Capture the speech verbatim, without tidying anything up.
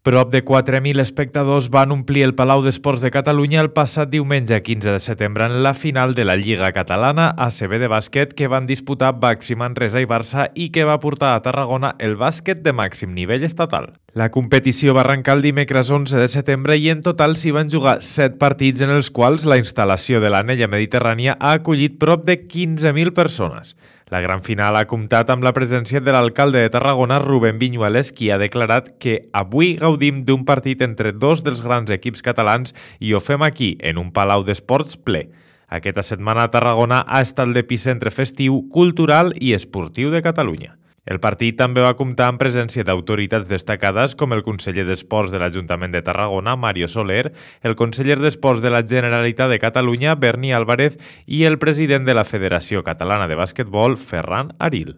Prop de quatre mil espectadors van omplir el Palau d'Esports de Catalunya el passat diumenge quinze de setembre en la final de la Lliga Catalana A C B de bàsquet que van disputar Baxi Manresa i Barça i que va portar a Tarragona el bàsquet de màxim nivell estatal. La competició va arrencar el dimecres onze de setembre i en total s'hi van jugar set partits en els quals la instal·lació de l'Anella Mediterrània ha acollit prop de quinze mil persones. La gran final ha comptat amb la presència de l'alcalde de Tarragona, Rubén Viñuales, qui ha declarat que avui gaudim d'un partit entre dos dels grans equips catalans i ho fem aquí, en un palau d'esports ple. Aquesta setmana Tarragona ha estat l'epicentre festiu, cultural i esportiu de Catalunya. El partit també va comptar amb presència d'autoritats destacades com el conseller d'Esports de l'Ajuntament de Tarragona, Mario Soler, el conseller d'Esports de la Generalitat de Catalunya, Berni Álvarez, i el president de la Federació Catalana de Bàsquetbol, Ferran Aril.